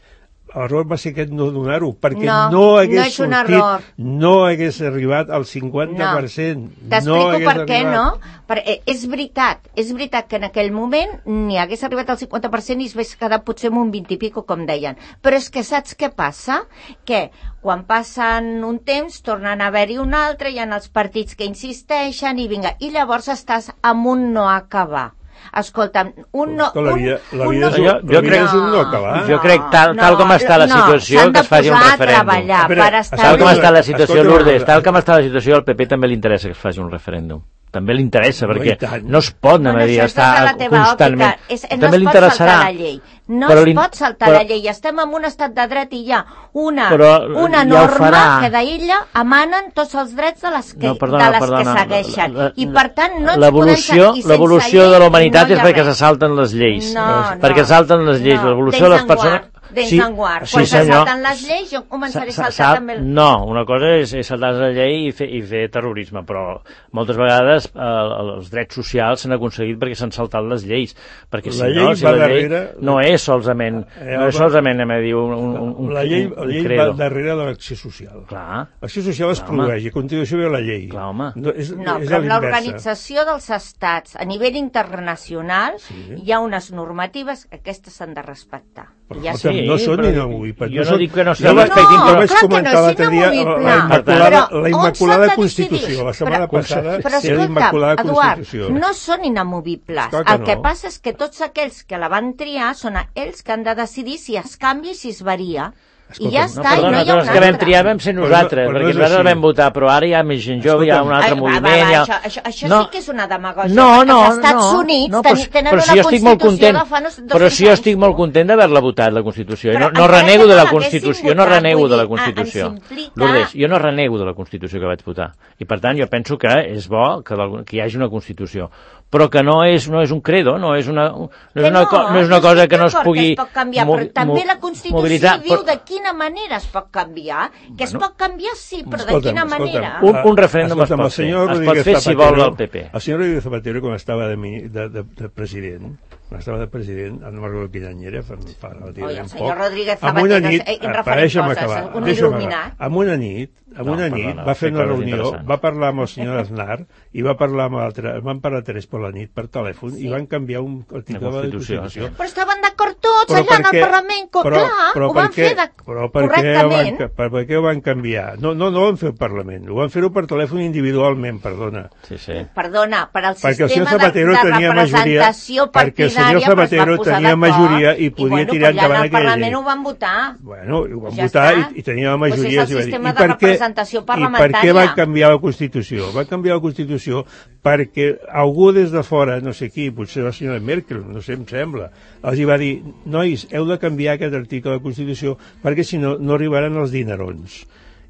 l'error va ser aquest no donar-ho, perquè no, no hagués no és un sortit, error. no hagués arribat al cinquanta per cent. No. T'explico no per què arribat. no. Perquè és veritat, és veritat que en aquell moment ni hagués arribat al cinquanta per cent i es hagués quedat potser amb un vint i pico, com deien. Però és que saps què passa? Que quan passen un temps tornen a haver-hi un altre, hi ha els partits que insisteixen i vinga, i llavors estàs amb un no acabar. Escolta'm, un no... La vida, la vida, un, és, un, jo, jo la vida crec, és un no acabar. Jo crec, tal, tal com està la situació, no, que es faci un referèndum. Tal com està la situació, Lourdes, tal com està la situació, al P P també li interessa que es faci un referèndum. També li interessa, no, perquè no es pot anar a dir, estar constantment. És, no també li interessarà. La llei. No però es pot saltar però, la llei. Estem en un estat de dret i hi ha una, però, una norma ja que d'ella emanen tots els drets de les que, no, perdona, de les perdona, que segueixen. La, la, I per tant no ens podem seguir. L'evolució de la humanitat no és perquè se salten les lleis. No, no, perquè salten les lleis. No, l'evolució de les persones... Dents sí, en guard. sí, Quan se senyor. salten les lleis, jo començaré a saltar Sal, també... No, una cosa és, és saltar la llei i fer, i fer terrorisme, però moltes vegades eh, els drets socials s'han aconseguit perquè s'han saltat les lleis, perquè si la no, llei si la llei darrere... no és solament, eh, no és solament a dir, un, un, un, la llei, un, la un llei credo. va darrere de l'acció social. Clar. L'acció social es Clar, produeix i a continuació ve la llei. Clar, home. No, és, no és però amb l'organització dels estats a nivell internacional sí. Hi ha unes normatives que aquestes s'han de respectar. Però ja sí, no són inamovibles. Jo no dic que no s'hi respectin, però vaig comentar l'altre dia la Immaculada, la Immaculada Constitució. La setmana passada però, era l'Immaculada Constitució. Eduard, no són inamovibles. El que passa és que tots aquells que la van triar són ells que han de decidir si es canvia i si es varia. I ja està, no, perdona, i no hi ha un altre. Que vam triar vam ser nosaltres, però no, però perquè nosaltres vam votar, però ara hi ha més gent jove, hi ha un altre Ai, moviment... Va, va, ha... Això, això, això no. sí que és una demagògia. No, no, als Estats no, Units no, ten, tenen però una si jo estic molt content, de fa dos però si jo estic molt content d'haver-la votat, la Constitució, i no, no renego de la Constitució, jo no renego de la Constitució. Lourdes, jo no renego de la Constitució que vaig votar, i per tant jo penso que és bo que, que hi hagi una Constitució, però que no és, no és un credo, no és una, no és una, no, no és una cosa que no es pugui es pot canviar, però també la Constitució mobilitzar, diu però... de quina manera es pot canviar, que bueno, es pot canviar sí, però escolta'm, de quina manera? Un, un referèndum es pot fer, es pot fer si vol el P P. El senyor Rodríguez Zapatero, quan estava de, de, de, de president, quan estava de president, no recordo quin any era, fa, fa relativament poc, amb una nit, deixa'm acabar, deixa'm acabar, amb una nit, amb una nit va fer una reunió, va parlar amb el senyor Aznar i va parlar amb l'altre, van parlar tres per la nit per telèfon i van canviar un article de la Constitució. Però estaven d'acord tots allà en el Parlament, clar, ho van fer correctament. Per què ho van canviar? No, no, no ho van fer al Parlament, ho van fer-ho per telèfon individualment, perdona. Sí, sí. Perdona, per al perquè sistema de, de representació partidària, perquè el senyor Zapatero tenia majoria i podia bueno, tirar endavant aquella llei. I al Parlament ho van votar. Bueno, ho van ja votar i, i tenia la majoria. Pues és el sistema de representació parlamentària. I per què van canviar la Constitució? Van canviar la Constitució perquè algú des de fora, no sé qui, potser la senyora Merkel, no sé, em sembla, els hi va dir, nois, heu de canviar aquest article de la Constitució perquè si no, no arribaran els dinerons.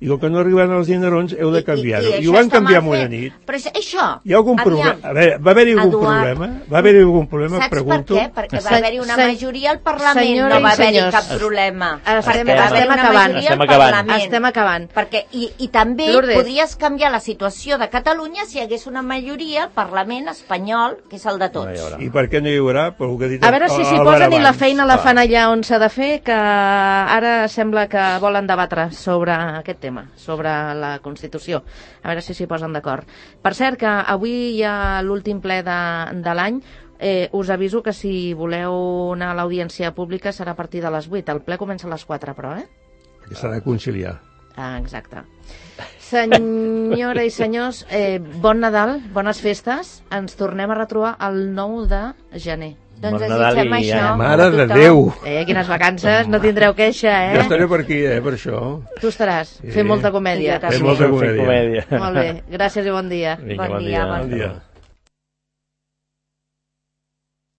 I com que no arribaran els dinerons, heu de canviar-ho. I, i, i, I ho van canviar en una nit. Però això... Hi ha algun problema? A veure, va haver-hi algun Eduard, problema? Va haver-hi algun problema, saps pregunto? per què? Perquè va haver-hi una majoria al Parlament, Senyora no va haver-hi cap problema. Estem, estem acabant. Estem acabant. Estem acabant. Perquè, i, I també Lourdes. podries canviar la situació de Catalunya si hi hagués una majoria al Parlament espanyol, que és el de tots. No I per què no hi haurà? Per que dit a veure si s'hi posen i la feina la fan allà on s'ha de fer, que ara sembla que volen debatre sobre aquest tema, sobre la Constitució. A veure si s'hi posen d'acord. Per cert, que avui hi ha l'últim ple de, de l'any. Eh, us aviso que si voleu anar a l'audiència pública serà a partir de les vuit. El ple comença a les quatre, però, eh? Que s'ha de conciliar. Ah, exacte. Senyora i senyors, eh, bon Nadal, bones festes. Ens tornem a retrobar el nou de gener. Doncs bon Nadal i això. Mare de Déu! Eh, quines vacances, no tindreu queixa, eh? Jo estaré per aquí, eh, per això. Tu estaràs, sí. fent molta comèdia. Fent molta comèdia. comèdia. Molt bé, gràcies i bon dia. Vinga, bon, bon dia, dia. bon dia.